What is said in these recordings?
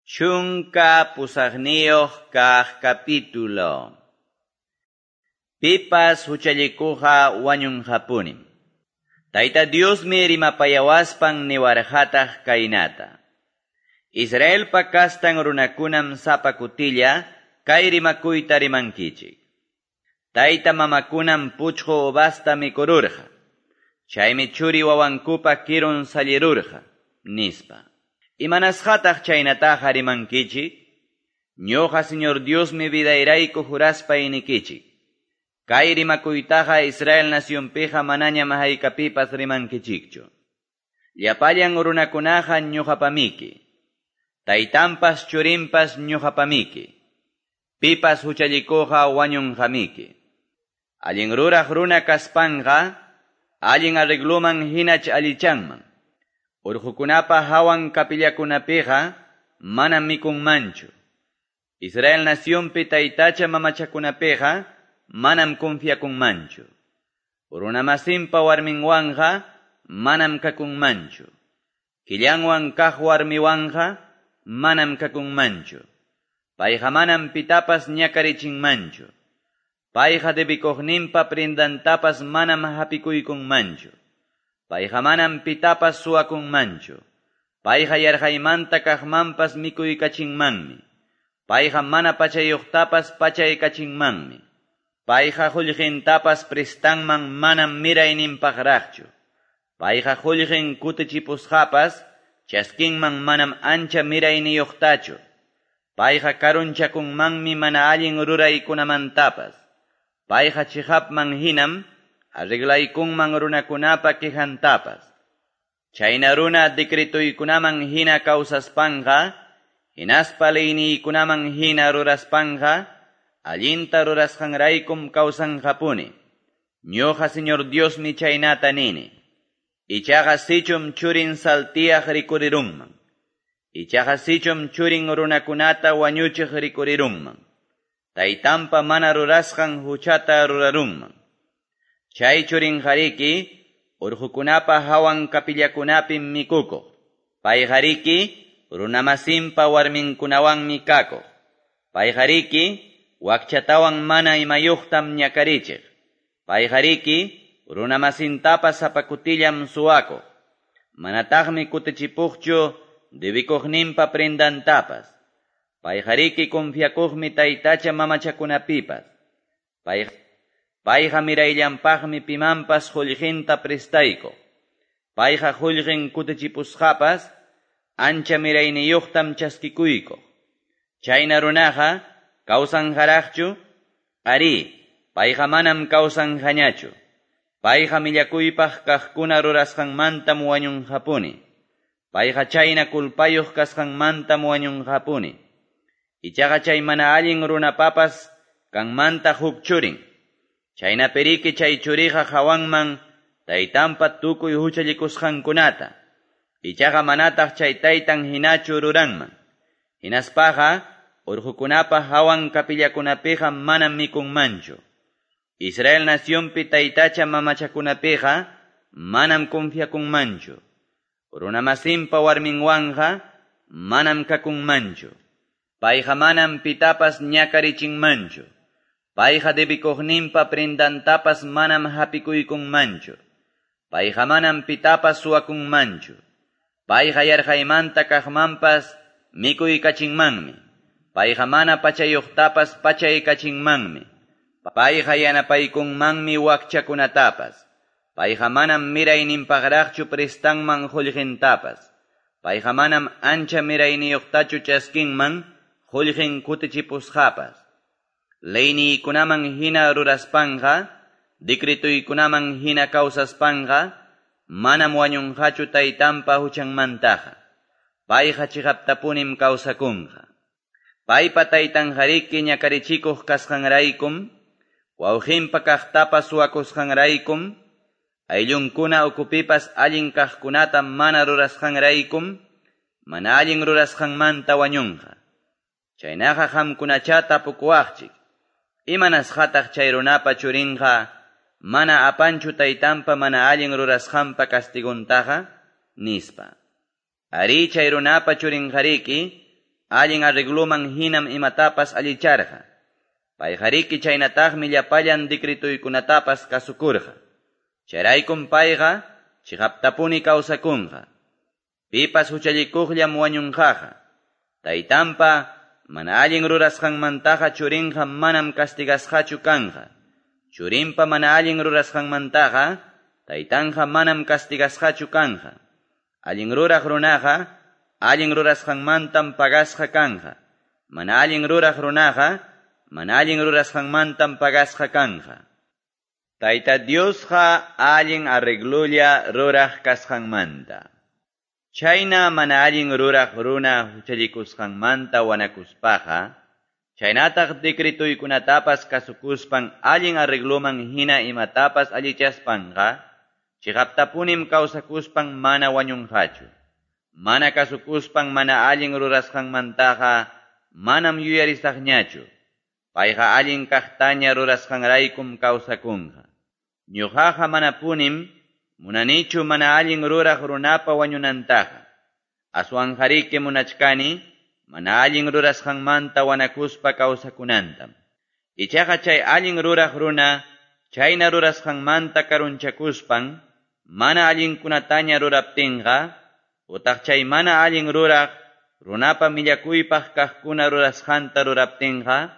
18 kaq capítulo. Pipas huchallikuqa wañunqapunim. Tayta Diosmi rimapayawaspan niwarqataq kaynata. Israelpa kastan runakunam sapa kutilla kay rimakuyta rimankichik. Tayta mamakunam puchqu uvasta mikururqa. Chaymi churi wawankupa kirun sallirurqa, nispa. Imanasqataq chaynataqa rimankichik? Ñuqa Señor Diosmi vidayrayku juraspay nikichik. Kay rimakuytaqa Israel nacionpiqa manañam haykapipas rimankichikchu. Llapallan runakunaqa ñuqapamiki. Taytanpas churinpas ñuqapamiki. Pipas huchallikuqa wañunqamiki. Allin ruraq runa kaspanqa, allin arregluman hinach allichanman. Urqukunapa hawan kapillakunapiqa manam mikunmanchu. Israel nacionpi taytacha mamachakunapiqa manam confiakunmanchu. Runamasinpa warminwanqa manam kakunmanchu. Killanwan kaq warmiwanqa manam kakunmanchu. Payqa manam pitapas ñakarichinmanchu. Payqa debikuqninpa prendantapas manam hapikuykunmanchu. Payqa manam pitapas suwakunmanchu. Payqa yarqaymanta kaqmanpas mikuykachinmanmi. Payqa mana pachayuqtapas pachaykachinmanmi. Payqa qullqintapas prestanman manam mirayninpaqraqchu. Payqa qullqin kutichipusqapas chaskinman manam ancha mirayniyuqtachu. Payqa karunchakunmanmi mana allin ruraykunamantapas. Payqa chiqapman hinam arreglaykunman runakunapa quejantapas. Chayna runa decretuykunaman hina kawsaspanqa, hinaspa leyniykunaman hina ruraspanqa, allinta rurasqanraykum kawsanqapuni. Ñuqa Señor Diosmi chaynata nini. Ichaqa sichum churin saltiyaq rikurirunman. Ichaqa sichum churin runakunata wañuchiq rikurirunman. Taytanpa mana rurasqan huchata rurarunman. Chay churinqariki urqukunapa hawan kapillakunapim mikukuq. Payqariki runamasinpa warminkunawanmi kakuq. Payqariki wakchatawan mana imayuqtam ñakarichiq. Payqariki runamasintapas sapa kutillam suwakuq. Manataqmi kutichipuqchu debikuqninpa prendantapas. Payqariki confiakuqmi taytacha mamachakunapipas. Payqa mirayllanpaqmi pimanpas qullqinta prestaykuq. Payqa qullqin kutichipusqapas ancha mirayniyuqtam chaskikuykuq. Chayna runaqa kawsanqaraqchu? Arí, payqa manam kawsanqañachu. Payqa millakuypaq kaqkuna rurasqanmantam wañunqapuni. Payqa chayna kulpayuq kasqanmantam wañunqapuni. Ichaqa chay mana allin runapapas kanmanta huk churin. Chayna periki chay churiqa hawanman taytanpa tukuy huchallikusqankunata. Ichaqa manataq chay taytan hinachu ruranman. Hinaspaqa urqukunapa hawan kapillakunapiqa manam mikunmanchu. Israel nacionpi taytacha mamachakunapiqa manam confiakunmanchu. Runamasinpa warminwanqa manam kakunmanchu. Payqa manam pitapas ñakarichinmanchu. Payqa debikuqninpa prendantapas manam hapikuykunmanchu. Payqa manam pitapas suwakunmanchu. Payqa yarqaymanta kaqmanpas mikuykachinmanmi. Payqa mana pachayuqtapas pachaykachinmanmi. Payqa yanapaykunmanmi wakchakunatapas. Payqa manam mirayninpaqraqchu prestanman qullqintapas. Payqa manam ancha mirayniyuqtachu chaskinman qullqin kutichipusqapas. Leyniykunaman hina ruraspanqa, decretuykunaman hina kawsaspanqa, manam wañunqachu taytanpa huchanmantaqa. Payqa chiqaptapunim kawsakunqa. Paypa taytanqariki ñakarichikuq kasqanraykum, wawqinpa kaqtapas suwakusqanraykum, ayllunkuna ukupipas allin kaqkunata mana rurasqanraykum, mana allin rurasqanmanta wañunqa. Chaynaqa qamkunacha tapukuwaqchik. Imanasqataq chay runapa churinqa mana apanchu taytanpa mana allin rurasqanpa castiguntaqa, nispa. Ari chay runapa churinqariki Allin arregloman hinam imatapas allicharqa. Payqariki chaynataqmi llapallan decretuykunatapas kasukurqa. Chayraykum payqa chiqaptapuni kawsakunqa. Pipas huchallikuqllam wañunqaqa. Taytanpa mana allin rurasqanmantaqa churinqa manam castigasqachu kanqa. Churinpa mana allin rurasqanmantaqa taytanqa manam castigasqachu kanqa. Allin ruraq runaqa allin rurasqanmantam pagasqa kanqa. Mana allin ruraq runaqa mana allin rurasqanmantam pagasqa kanqa. Tayta Diosqa allin arreglulla ruraq kasqanmanta. Chayna mana allin ruraq runa huchallikusqanmanta wanakuspaqa, chaynataq decretuykunatapas kasukuspan allin arregloman hina imatapas allichaspanqa, chiqaptapunim kawsakuspan mana wañunqachu. Mana kasukuspan mana allin rurasqanmantaqa manam yuyarisaqñachu. Payqa allin kaqtaña rurasqanraykum kawsakunqa. Ñuqaqa manapunim munanichu mana allin ruraq runapa wañunantaqa. Aswanqariki munachkani mana allin rurasqanmanta wanakuspa kawsakunantam. Ichaqa chay allin ruraq runa chayna rurasqanmanta karunchakuspan mana allinkunataña ruraptinqa, utaq chay mana allin ruraq runapa millakuypaq kaqkuna rurasqanta ruraptinqa,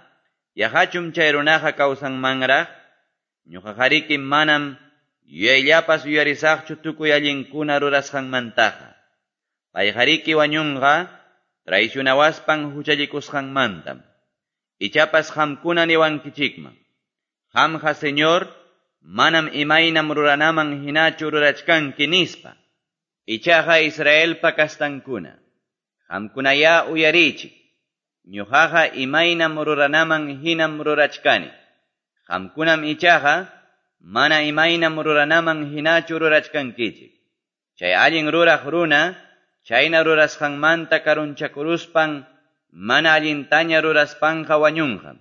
yaqachum chay runaqa kawsanmanraq? Ñuqaqariki manam yuyayllapas yuyarisaqchu tukuy allinkuna rurasqanmantaqa. Payqariki wañunqa traicionawaspan huchallikusqanmantam. Ichapas qamkuna niwankichikman: Qamqa Señor, manam imaynam ruranaman hinachu rurachkanki nispa. Ichaqa Israelpa kastankuna, qamkunayá uyarichik. Ñuqaqa imaynam ruranaman hinam rurachkani. Qamkunam ichaqa mana imaynam ruranaman hinachu rurachkankichik. Chay allin ruraq runa chayna rurasqanmanta karunchakuruspan mana allintaña ruraspanqa wañunqam.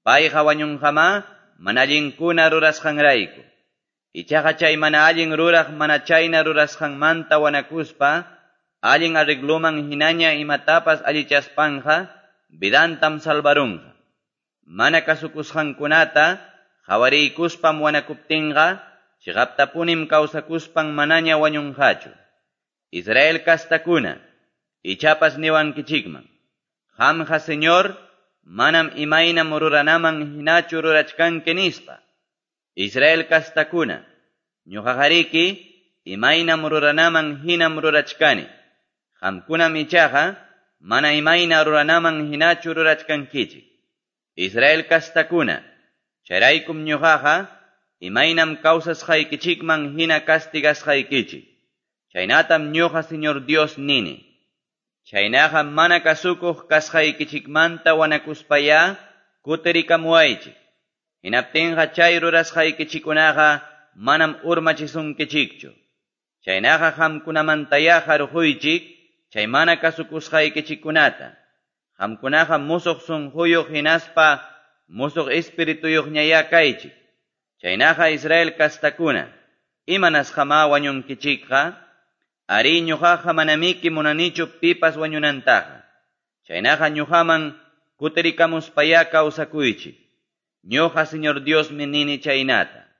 Payqa wañunqamá mana allinkuna rurasqanrayku. Ichaqa chay mana allin ruraq mana chayna rurasqanmanta wanakuspa allin arregloman hinaña imatapas allichaspanqa vidantam salvarunqa. Mana kasukusqankunata qawariykuspam wanakuptinqa chiqaptapunim kawsakuspan manaña wañunqachu. Israel kastakuna, ichapas niwankichikman: Qamqa Señor, manam imaynam ruranaman hinachu rurachkanki nispa. Israel kastakuna, ñuqaqariki imaynam ruranaman hinam rurachkani. Qamkunam ichaqa mana imayna ruranaman hinachu rurachkankichik. Israel kastakuna, chayraykum ñuqaqa imaynam kawsasqaykichikman hina castigasqaykichik. Chaynatam ñuqa Señor Dios nini. Chaynaqa mana kasukuq kasqaykichikmanta wanakuspayá kutirikamuwaychik. Hinaptinqa chay rurasqaykichikunaqa manam urmachisunkichikchu. Chaynaqa qamkunamantayá harquychik chay mana kasukusqaykichikkunata. Qamkunaqa musuq sunquyuq hinaspa musuq espirituyuqñayá kaychik. Chaynaqa Israel kastakuna, imanasqamá wañunkichikqa? Ari ñuqaqa manamiki munanichu pipas wañunantaqa. Chaynaqa ñuqaman kutirikamuspayá kawsakuychik. Ñuqa Señor Diosmi nini chaynata.